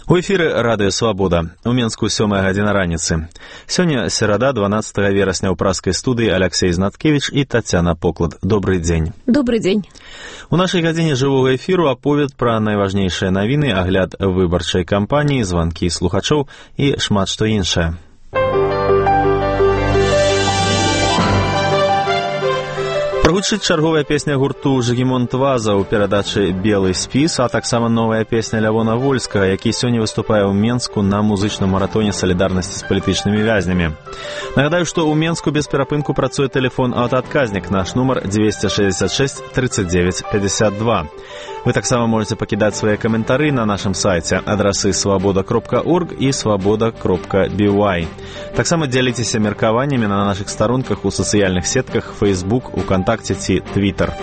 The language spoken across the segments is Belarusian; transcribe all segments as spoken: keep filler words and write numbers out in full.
У эфіры радыё «Свабода». У Менску сёмая гадзіна раніцы. Сёння серада, дванаццатага верасня, ў праскай студыі Алексей Знаткевич і Тацяна Поклад. Добрый дзень. Добрый дзень. У нашай гадзіне жывога эфіру аповед пра найважнейшыя навіны, агляд выбарчай кампаніі, званкі слухачоў і шмат што іншае. Прагучыць чарговая песня гурту «Жыгімонт Ваза» ў перадачы «Белы спіс», а таксама новая песня Лявона Вольскага, які сёння выступае ў Менску на музычным маратоне салідарнасці з палітычнымі вязнямі. Нагадаю, што ў Менску без перапынку працуе тэлефон аўтаадказнік, наш нумар двести шестьдесят шесть тридцать девять пятьдесят два. Вы таксама можете пакідаць свае каментары на нашым сайце, адрасы свабода кропка орг і свабода кропка би уай. Таксама дзяліцеся меркаваннямі на нашых старонках у сацыяльных сетках Facebook, УКонтакте ці Twitter.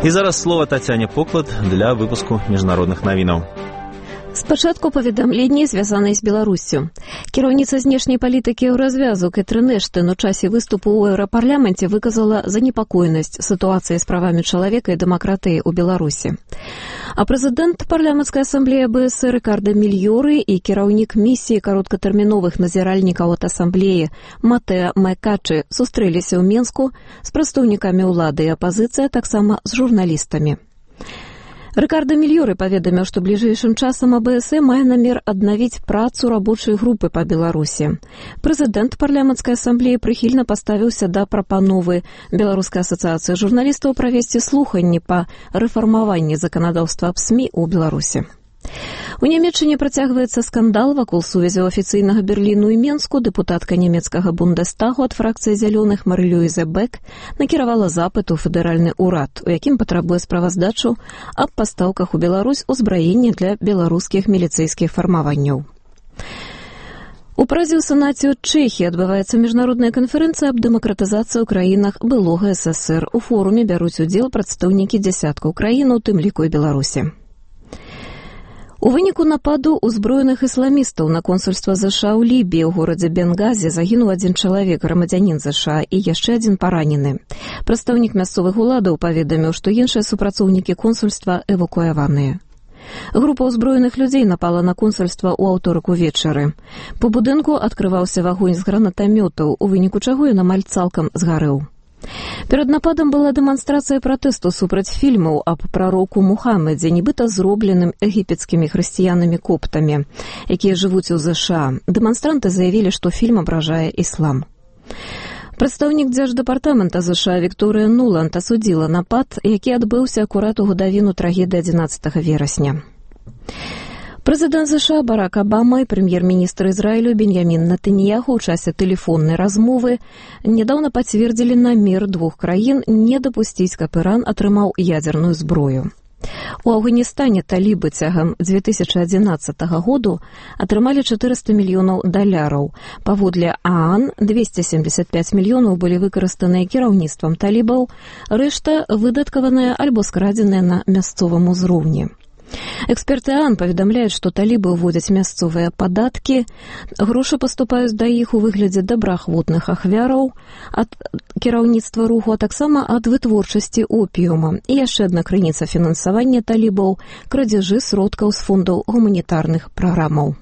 І зараз слова Тацяне Поклад для выпуску міжнародных навінаў. Спачатку паведамленні, звязанай з Беларуссю. Кіраўніца знешняй палітыкі Еўразвязу Кэтрын Эштэн у часе выступу ў Еўрапарламенце выказала занепакоенасць сітуацыі з правамі чалавека і дэмакратыі ў Беларусі. А прэзідэнт парламенцкай асамблеі а бэ эс эр Рикардо Мільёры і кіраўнік місіі кароткатэрміновых назіральнікаў ад асамблеі Матэа Майкачы сустрэліся ў Менску з прадстаўнікамі ўлады і апазіцыі, а таксама з журналістамі. Рикардо Мільёры паведаміў, што бліжэйшым часам а бэ эс э мае намер аднавіць працу рабочай групы па Беларусі. Прэзідэнт парламенцкай асамблеі прыхільна паставіўся да прапановы Беларускай асацыяцыі журналістаў правесці слуханні па рэфармаванні заканадаўства аб СМІ ў Беларусі. У Нямецчыне працягваецца скандал вакол сувязяў афіцыйнага Берліну і Менску. Дэпутатка нямецкага Бундестагу ад фракцыі зялёных Мары-Люйзе Бек накіравала запыт у федэральны ўрад, у якім патрабуе справаздачу аб пастаўках у Беларусь узбраення для беларускіх міліцэйскіх фармаванняў. У Празе ў Сенаце ў Чэхіі адбываецца міжнародная канферэнцыя аб дэмакратызацыі ў краінах былога эс эс эр. У форуме бяруць удзел прадстаўнікі дзясяткаў краін, у тым ліку і Беларусі. У выніку нападу ўзброеных ісламістаў на консульства ЗША ў Лібіі ў горадзе Бенгазе загінуў адзін чалавек, грамадзянін ЗША, і яшчэ адзін паранены. Прадстаўнік мясцовых уладаў паведаміў, што іншыя супрацоўнікі консульства эвакуяваныя. Група ўзброеных людзей напала на консульства ў аўторак увечары. По будынку адкрываўся вагонь з гранатамётаў, у выніку чаго ён амаль цалкам згарэў. Перад нападам была дэманстрацыя пратэсту супраць фільмаў аб прароку Мухаммедзе, нібыта зробленым егіпецкімі хрысціянамі-коптамі, якія жывуць у ЗША. Дэманстранты заявілі, што фільм абражае іслам. Прадстаўнік дзярждэпартамента ЗША Вікторыя Нуланд асудзіла напад, які адбыўся акурат у гадавіну трагедыі адзінаццатага верасня. Прэзідэнт ЗША Барак Абама і прэм'ер-міністр Ізраілю Беньямін Нетаньяху ў часе тэлефоннай размовы нядаўна пацвердзілі намер двух краін не дапусціць, каб Іран атрымаў ядзерную зброю. У Афганістане талібы цягам дзве тысячы адзінаццатага году атрымалі чатырыста мільёнаў даляраў. Паводле ААН, двести семьдесят пять мільёнаў былі выкарыстаныя кіраўніцтвам талібаў, рэшта выдаткаваная альбо скрадзеная на мясцовым узроўні. Эксперты ААН паведамляюць, што талібы ўводзяць мясцовыя падаткі, грошы паступаюць да іх у выглядзе добраахвотных ахвяраў ад кіраўніцтва руху, а таксама ад вытворчасці опіума. І яшчэ адна крыніца фінансавання талібаў – крадзяжы сродкаў з фондаў гуманітарных праграмаў.